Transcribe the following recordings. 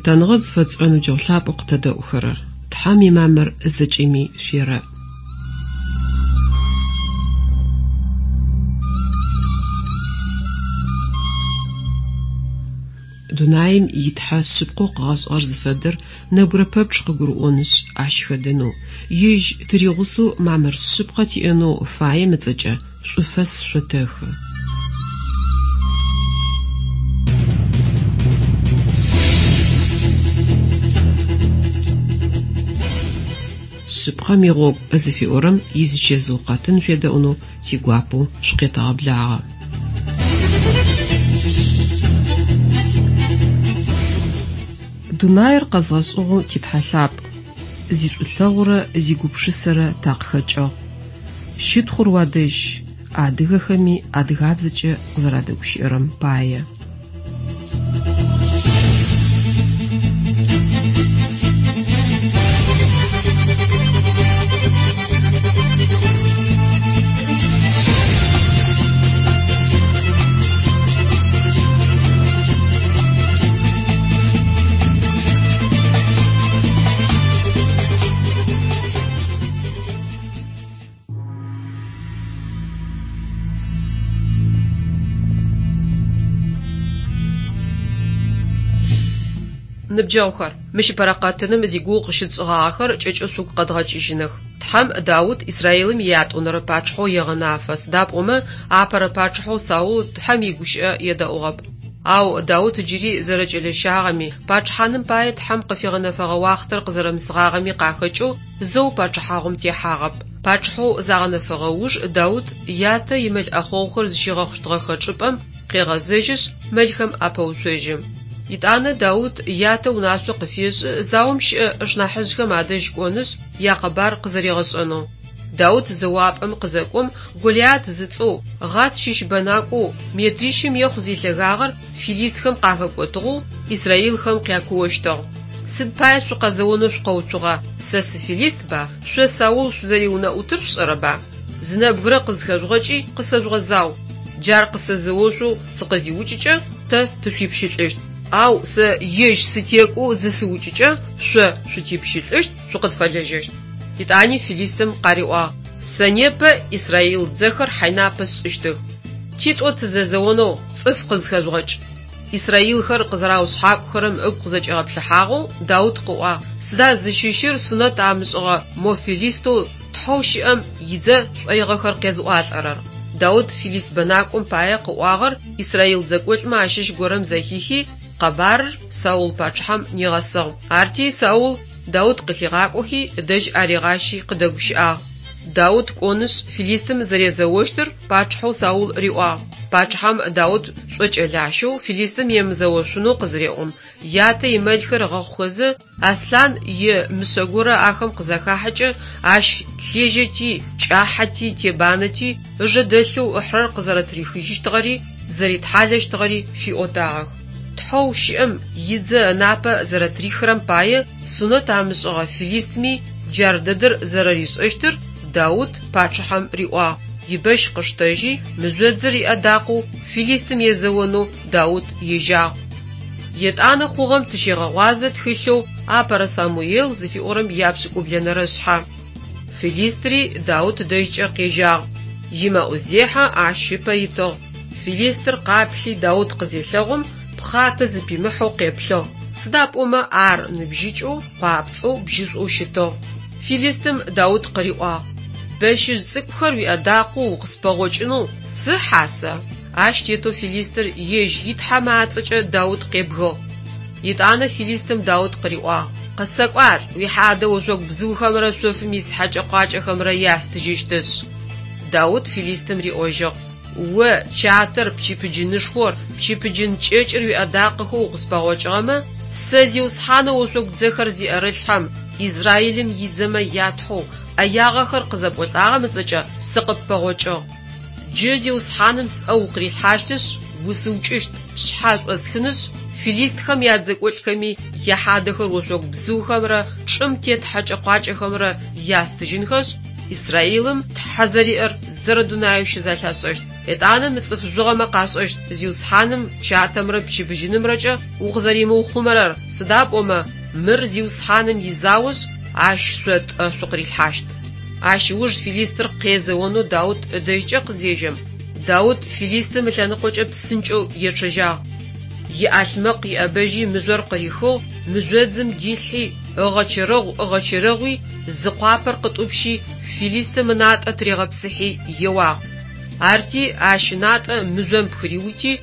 Лъытэныгъэ зыфэтшӏырэ ныбджэгъу лъапӏэу къытэдэӏухэрэр! Тхьэм имамыр зэкӏэми шъуерэӏ. Дунаим и Тхьэ шъыпкъэу къыгъэшӏыгъэр зыфэдэр нэбгырэ пэпчъ къыгурыӏонышъ, ащ хэдэнэу, Ежь тыригъусэу мамыр шъыпкъэ тиӏэнэу фаем ыцӏэкӏэ шӏуфэс шъотэхы. Шъыпкъэм игъогу зыфиӏорэм изичэзыу къэтын шъуедэӏунэу тигуапэу шъукъетэгъэблагъэ. Дунаир къэзгъэшӏыгъэу ти Тхьэ лъапӏ, зишӏулъэгъурэ зигупшысэрэ такъыхэкӏыгъ. Щытхъур уадэжь, адыгэхэми адыгабзэкӏэ къызэрадэгущыӏэрэм пае. Ныбджэгъухэр, мыщ ыпэрэ къэтыным зигугъу къыщытшӏыгъагъэхэр кӏэкӏэу шъугу къэдгъэкӏыжьыных. Тхьэм Даут Израилым иятӏонэрэ пачъыхьэу егъэнафэ, сыда пӏомэ апэрэ пачъыхьэу Саул Тхьэм игущыӏэ едэӏугъэп. Ау Даут джыри зэрэкӏэлэщагъэми, пачъыхьаным пае Тхьэм къыфигъэнэфэгъэ уахътэр къызэрэмысыгъагъэми къахэкӏэу зэу пачъыхьагъум техьагъэп. Пачъыхьэу загъэнэфэгъэ уж Даут ятэ имэл ӏэхъогъухэр зыщигъэхъущтыгъэхэ чӏыпӏэм къегъэзэжьышъ, мэлхэм апэуцожьы. Етӏанэ Даут ятэ унашъо къыфешӏы заом щыӏэ ышнахьыжъхэм адэжь кӏонышъ, якъэбар къызэригъэшӏэнэу. Даут зэуапӏэм къызэкӏом, Голиат зыцӏэу, Гъат щыщ бэнакӏоу, метрищым ехъу зилъэгагъэр филистхэм къахэкӏотыгъэу израилхэм къякуощтыгъ. Сыд пае шъукъэзэонэу шъукъэуцугъа? Сэ сыфилистба? Шъо Саул шъузэриунэӏутыр шъушӏэрэба? Зы нэбгырэ къызхэжъугъэкӏи къысэжъугъэзау. Джар къысэзэошъоу сыкъызиукӏыкӏэ, тэ тышъуипщылӏыщт. Ау сэ ежь сытекӏоу зысыукӏыкӏэ, шъо шъутипщылӏыщт, шъукъытфэлэжьэщт. Етӏани филистым къариӏуагъ, Сэ непэ израил дзэхэр хьайнапэ сшӏыщтых. Титӏо тызэзэонэу цӏыф къызхэжъугъэкӏ. Израилхэр къызэраушъхьакӏухэрэм ыгу къызэкӏигъэплъыхьагъэу Даут къыӏуагъ, Сыда зыщыщыр сунэт амышӏыгъэ мо филистэу Тхьэу щыӏэм идзэ шӏоигъэхэр къезыӏуалӏэрэр? Даут филист бэнакӏом пае къыӏуагъэр израил дзэкӏолӏмэ ащыщ горэм зэхихи, къэбарыр Саул пачъыхьэм нигъэсыгъ. Арти Саул Даут къылъигъакӏохи, ыдэжь аригъащи къыдэгущыӏагъ. Даут кӏонышъ, филистым зэрезэощтыр пачъыхьэу Саул риӏуагъ. Пачъыхьэм Даут шӏокӏэлащэу филистым емызэошъунэу къызыреӏом, ятэ имэлхэр ыгъэхъухэзэ, аслъан е мышъэ горэ ахэм къызахахьэкӏэ, ащ лъежьэти, кӏахьэти, тебанэти, ыжэ дэлъэу ыхьырэр къызэрэтырихыжьыщтыгъэри, зэритхьалэщтыгъэри фиӏотагъэх. Тхьэу щыӏэм идзэ ынапэ зэрэтырихырэм пае сунэт амышӏыгъэ филистми джар дэдэр зэрэришӏэщтыр Даут пачъыхьэм риӏуагъ. Ибэщ къыштэжьи, мыжъодзыр иӏэдакъэу филистым езэонэу Даут ежьагъ. Етӏанэ хъугъэм тыщегъэгъуазэ тхылъэу Апэрэ Самуел зыфиӏорэм япшӏыкӏублэнэрэ шъхьэ. Филистри Даут дэжькӏэ къежьагъ. Имэӏузехьэ ащ ыпэ итыгъ. Филистыр къаплъи Даут къызелъэгъум, пхъатэ зыпимыхьэу къеплъыгъ, сыда пӏомэ ар ныбжьыкӏэу, къуапцӏэу, бжьышӏоу щытыгъ. Филистым Даут къыриӏуагъ, Бэщыжъ цӏыкӏухэр уиӏэдакъэу укъыспэгъокӏынэу сыхьа сэ? Ащ тетэу филистыр ежь итхьэмэ ацӏэкӏэ Даут къебгыгъ. Етӏанэ филистым Даут къыриӏуагъ, Къысэкӏуалӏ, уихьадэ ошъогу бзыухэмрэ шъофым ис хьэкӏэ-къуакӏэхэмрэ ястыжьыщтышъ. Даут филистым риӏожьыгъ, О, чатэр, пчыпыджынышхор, пчыпыджын кӏэкӏыр уиӏэдакъэхэу укъыспэгъокӏыгъэмэ, сэ Зиусхьанэу ошъогу дзэхэр зиӏэрылъхьэм, Израилым идзэмэ я Тхьэу, ӏэягъэхэр къызэпӏолӏагъэм ыцӏэкӏэ сыкъыппэгъокӏыгъ. Джы Зиусхьаным сӏэ укъырилъхьащтышъ, усыукӏыщт, пшъхьэ шӏосхынышъ, филистхэм ядзэкӏолӏхэми яхьадэхэр ошъогу бзыухэмрэ чӏым тет хьэкӏэ-къуакӏэхэмрэ ястыжьынхэшъ, Израилым Тхьэ зэриӏэр зэрэдунаеу щызэлъашӏэщт. Етӏанэ мы цӏыф жъугъэмэ къашӏэщт Зиусхьаным чатэмрэ пчыбыжьынымрэкӏэ укъызэримыухъумэрэр, сыда пӏомэ мыр Зиусхьаным изаошъ, Ащ шъо тӏэ шъукъырилъхьащт. Ащ ыуж филистыр къезэонэу Даут ыдэжькӏэ къызежьэм, Даут филистым ылъэныкъокӏэ псынкӏэу ечъэжьагъ. Иӏалъмэкъ иӏэбэжьи мыжъор къырихыгъ, мыжъодзым дилъхьи, ыгъэчэрэгъу-ыгъэчэрэгъуи, зы къуапэр къытӏупщи, филистым ынатӏэ тыригъэпсыхьи еуагъ. Арти ащ ынатӏэ мыжъом пхыриути,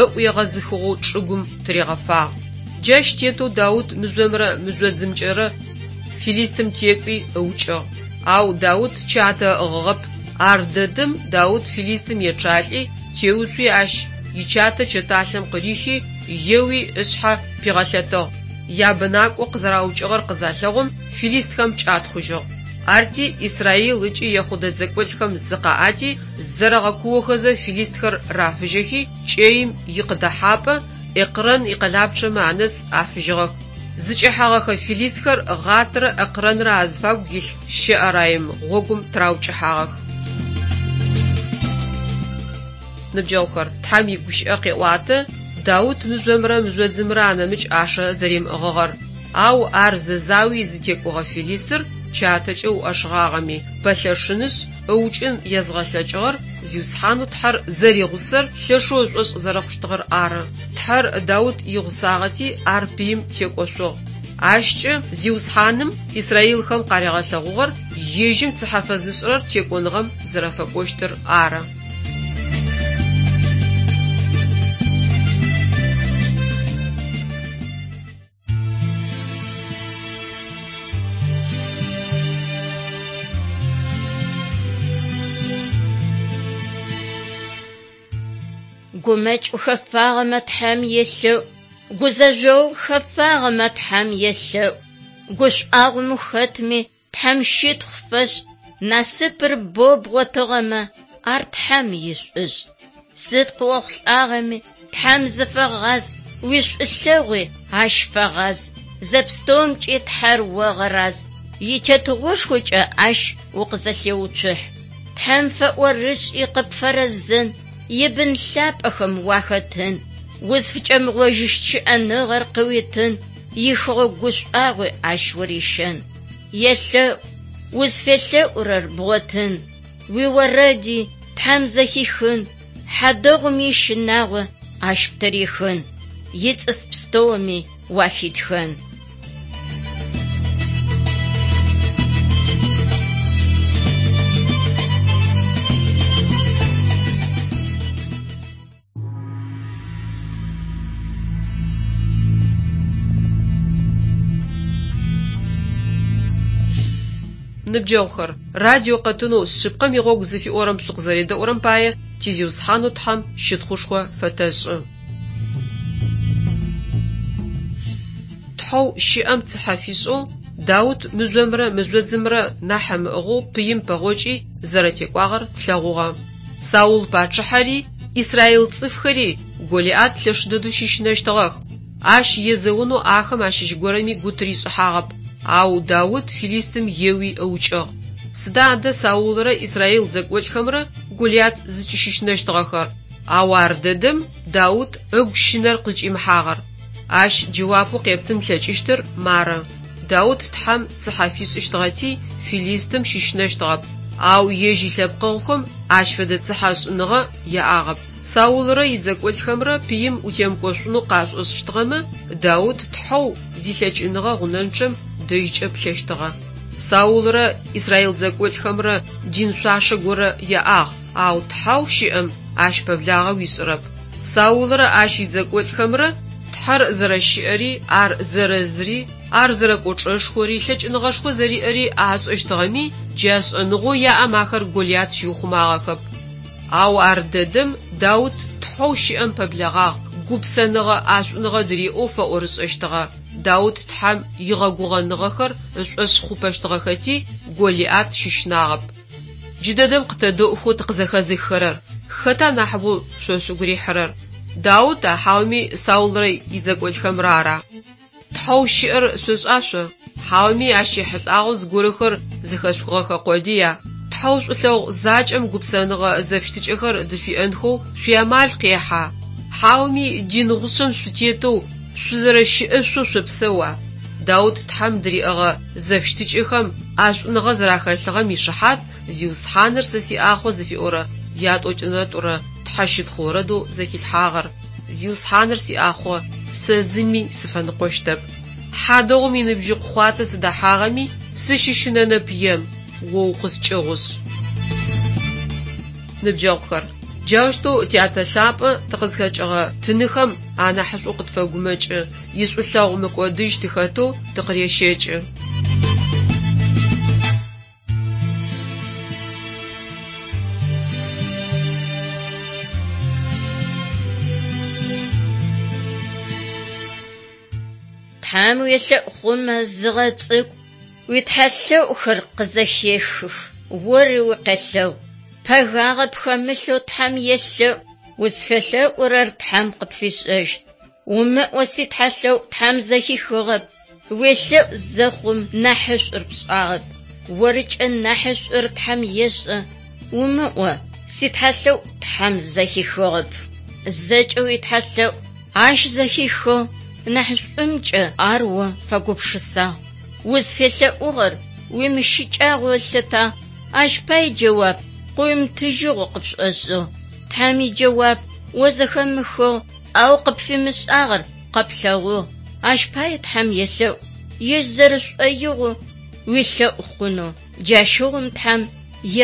ыӏу егъэзыхыгъэу чӏыгум тыригъэфагъ. Джащ тетэу Даут мыжъомрэ мыжъодзымкӏэрэ филистым текӏуи ыукӏыгъ. Ау Даут чатэ ыӏыгъыгъэп. Ар дэдэм Даут филистым ечъалӏи, теуцуи ащ ичатэ чэталъэм къырихи, еуи ышъхьэ пигъэлъэтыгъ. Ябэнакӏо къызэраукӏыгъэр къызалъэгъум, филистхэм кӏатхъужьыгъ. Арти Израил ыкӏи Ехъудэ дзэкӏолӏхэм зыкъаӏати, зэрэгъэкуохэзэ филистхэр рафыжьэхи, кӏэим икъыдэхьапӏэ Экрэн икъэлапчъэмэ анэс афыжьыгъэх. Зыкӏэхьэгъэхэ филистхэр Гъатрэ Экрэнрэ азыфагу илъ Щыӏэраим гъогум тыраукӏыхьагъэх. Ныбджэгъухэр, Тхьэм игущыӏэ къеӏуатэ, Даут мыжъомрэ мыжъодзымрэ анэмыкӏ ӏашэ зэримыӏыгъыгъэр. Ау ар зэзауи зытекӏогъэ филистыр чатэкӏэ уӏэшыгъагъэми, пэлъэшынышъ, ыукӏын езгъэлъэкӏыгъэр Зиусхьанэу Тхьэр зэригъусэр лъэшэу ышӏошъ зэрэхъущтыгъэр ары. Тхьэр Даут игъусагъэти, ар пыим текӏошъугъ. Ащкӏэ Зиусхьаным израилхэм къаригъэлъэгъугъэр ежьым цыхьэ фэзышӏырэр текӏоныгъэм зэрэфэкӏощтыр ары. Гумэкӏ ухэфагъэмэ Тхьэм елъэӏу, гузэжъогъу хэфагъэмэ Тхьэм елъэӏу, гушӏуагъом ухэтми Тхьэм щытхъу фэшӏ, насыпыр боу бгъотыгъэмэ, ар Тхьэм ишӏушӏ. Сыд къыохъулӏагъэми, Тхьэм зыфэгъаз, уишӏулъэгъуи Ащ фэгъаз, зэпстэумкӏи Тхьэр огъэраз, итетыгъошхокӏэ Ащ укъызэлъеуцухь. Тхьэм фэӏорышӏи къыпфэрэзэн, ибын лъапӏэхэм уахэтын, узфыкӏэмыгъожьыщт щыӏэныгъэр къыуитын, ихэгъэгу гушӏуагъуи Ащ урищэн. Елъэӏу, узфелъэӏурэр бгъотын, уиорэди Тхьэм зэхихын, хьадэгъум ищынагъо Ащ птырихын, ицӏыф пстэуми уахитхэн. Ныбджэгъухэр, радио къэтынэу Шъыпкъэм игъогу зыфиӏорэм шъукъызэредэӏурэм пае ти Зиусхьанэу Тхьэм щытхъушхо фэтэшӏы. Тхьэу щыӏэм цыхьэ фишӏэу, Даут мыжъомрэ мыжъодзымрэ нахь ымыӏыгъэу пыим пэгъокӏи зэрэтекӏуагъэр тлъэгъугъэ. Саул пачъыхьэри, израил цӏыфхэри Голиат лъэш дэдэу щыщынэщтыгъэх. Ащ езэонэу ахэм ащыщ горэми гу тыришӏыхьагъэп, ау Даут филистым еуи ыукӏыгъ. Сыда адэ Саулрэ израил дзэкӏолӏхэмрэ Голиат зыкӏыщыщынэщтыгъэхэр? Ау ар дэдэм Даут ыгу щынэр къызкӏимыхьагъэр. Ащ джэуапэу къептын плъэкӏыщтыр мары: Даут Тхьэм цыхьэ фишӏыщтыгъэти, филистым щыщынэщтыгъэп, ау ежь илъэпкъэгъухэм ащ фэдэ цыхьэшӏыныгъэ яӏагъэп. Саулрэ идзэкӏолӏхэмрэ пыим утемыкӏошъунэу къашӏошӏыщтыгъэмэ, Даут Тхьэу зилъэкӏыныгъэ гъунэнчъэм дэжькӏэ плъэщтыгъэ. Саулрэ израил дзэкӏолӏхэмрэ дин шъуашэ горэ яӏагъ, ау Тхьэу щыӏэм ащ пэблагъэ уишӏырэп. Саулрэ ащ идзэкӏолӏхэмрэ Тхьэр зэрэщыӏэри, ар зэрэзыри, ар зэрэкӏочӏэшхори, лъэкӏыныгъэшхо зэриӏэри ашӏэщтыгъэми, джа шӏэныгъэу яӏэм ахэр Голиат щиухъумагъэхэп. Ау ар дэдэм Даут Тхьэу щыӏэм пэблэгъагъ, гупсэныгъэ ӏэшӏуныгъэ дыриӏэу фэӏорышӏэщтыгъэ. Даут Тхьэм игъэгугъэныгъэхэр ышӏошъ хъупэщтыгъэхэти, Голиат щыщынагъэп. Джыдэдэм къытэдэӏухэу тыкъызэхэзыххэрэр, хэта нахьыбэу шъо шъугу рихьырэр? Даута хьауми Саулрэ идзэкӏолӏхэмрэ ара? Тхьэу щыӏэр шъошӏа шъо? Хьауми ащ ехьылӏагъэу зыгорэхэр зэхэшъухыгъэхэ къодыя? Тхьэу шӏулъэгъу закӏэм гупсэныгъэ зэфыщытыкӏэхэр дышъуиӏэнхэу шъуиамал къехьа? Хьауми дин гъушъэм шъутетэу шъузэрэщыӏэшъоу шъопсэуа? Даут Тхьэм дыриӏэгъэ зэфыщытыкӏэхэм ӏэшӏуныгъэ зэрахэлъыгъэм ишыхьат «Зиусхьаныр сэ сиӏахъо» зыфиӏорэ ятӏокӏынэрэ тӏурэ тхьэщытхъу орэдэу зэхилъхьагъэр. Зиусхьаныр сиӏахъо, сэ зыми сыфэныкъощтэп. Хьадэгъум иныбжьыкъу хъуатэ сыдэхьагъэми, сыщыщынэнэп ем, о укъыскӏыгъушъ. Ныбджэгъухэр, джаущтэу Тятэ лъапӏэ тыкъызхэкӏыгъэ тыныхэм анахьышӏоу къытфэгумэкӏы, ишӏулъэгъу мыкӏодыжь тыхэтэу тыкъырещэкӏы. Тхьэм уелъэӏу хъумэ зыгъэцӏыкӏу, уитхьэлъэӏухэр къызэхехых, ори укъелъэӏу. Пэгагъэ пхэмылъэу Тхьэм елъэӏу, узфелъэӏурэр Тхьэм къыпфишӏэщт. Умыӏо ситхьэлъэӏу Тхьэм зэхихыгъэп, уелъэӏу зэхъум нахьышӏур пшӏагъэп. Орыкӏэ нахьышӏур Тхьэм ешӏэ, умыӏо ситхьэлъэӏу Тхьэм зэхихыгъэп. Зэкӏэ уитхьэлъэӏу ащ зэхихыгъ, нахьышӏумкӏэ ар о фэгупшысагъ. Узфелъэӏугъэр уимыщыкӏагъэу ылъытагъ, ащ пай джэуап къыуимытыжьыгъэу къыпшӏошӏыгъ. Тхьэм иджэуап о зэхэмыхыгъ, ау къыпфимышӏагъэр къэплъэгъугъ. Ащ пае Тхьэм елъэӏу, ежь зэрэшӏоигъоу уилъэӏу хъунэу. Джащыгъум Тхьэм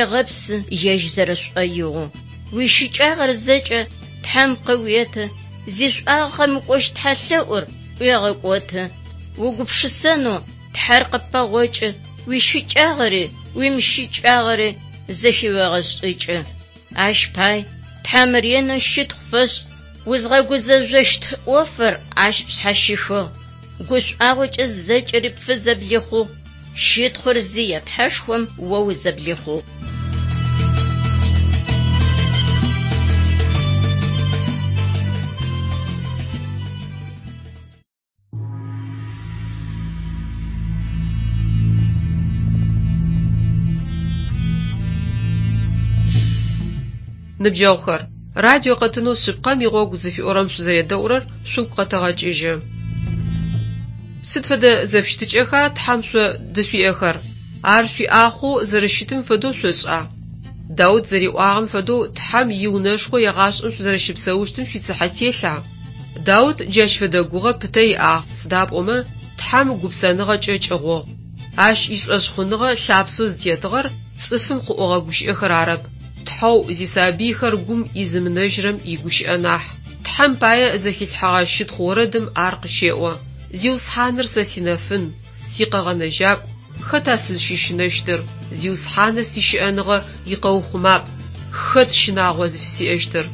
егъэпсы ежь зэрэшӏоигъоу. Уищыкӏагъэр зэкӏэ Тхьэм къыуеты, зишӏуагъэ къэмыкӏощт тхьэлъэӏур ӏуегъэкӏоты. Угупшысэнэу Тхьэр къыппэгъокӏы, уищыкӏагъэри уимыщыкӏагъэри зэхыуегъэшӏыкӏы. Ащ пай Тхьэм ренэу щытхъу фэшӏ, узгъэгузэжъощт ӏофыр ащ пшъхьащихыгъ. Гушӏуагъокӏэ зэкӏэри пфызэблихъугъ, щытхъур зие Тхьэшхом о узэблихъугъ. Ныбджэгъухэр, радио къэтынэу Шъыпкъэм игъогу зыфиӏорэм шъузэредэӏурэр шъугу къэтэгъэкӏыжьы. Сыд фэдэ зэфыщытыкӏэха Тхьэм шъо дышъуиӏэхэр? Ар шъуиӏахъоу зэрэщытым фэдэу шъошӏа? Даут зэриӏуагъэм фэдэу Тхьэм иунэшхо егъашӏэм шъузэрэщыпсэущтым шъуицыхьэ телъа? Даут джащ фэдэ гугъэ пытэ иӏагъ, сыда пӏомэ Тхьэм гупсэныгъэкӏэ кӏыгъугъ. Ащ ишӏошъхъуныгъэ лъапсэу зытетыгъэр цӏыфым къыӏогъэ гущыӏэхэр арэп, Тхьэу зисабыйхэр гум изымынэжьырэм игущыӏэ нахь. Тхьэм пае зэхилъхьэгъэ щытхъу орэдым ар къыщеӏо: Зиусхьаныр сэ синэфын, сикъэгъэнэжьакӏу, хэта сызщыщынэщтыр? Зиусхьаныр сищыӏэныгъэ икъэухъумапӏ, хэт щынагъо зыфысиӏэщтыр?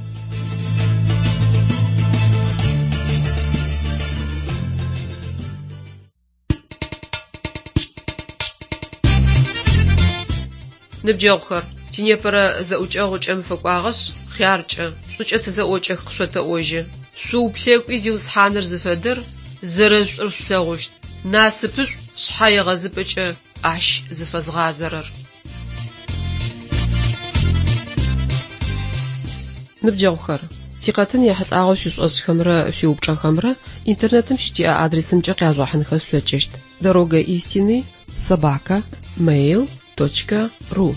Ныбджэгъухэр, тинепэрэ зэӏукӏэгъу кӏэм фэкӏуагъэшъ, хъяркӏэ, шӏукӏэ тызэӏокӏэх къышъотэӏожьы. Шъууплъэкӏуи Зиусхьаныр зыфэдэр, зэрэшӏур шъулъэгъущт. Насыпышӏу шъхьэегъэзыпӏэкӏэ ащ зыфэзгъазэрэр. Ныбджэгъухэр, тикъэтын ехьылӏагъэу шъуишӏошӏхэмрэ шъуиупчӏэхэмрэ интернетым щытиӏэ адресымкӏэ къяжъугъэхьынхэ шъулъэкӏыщт: дорога истины собака mail.ru.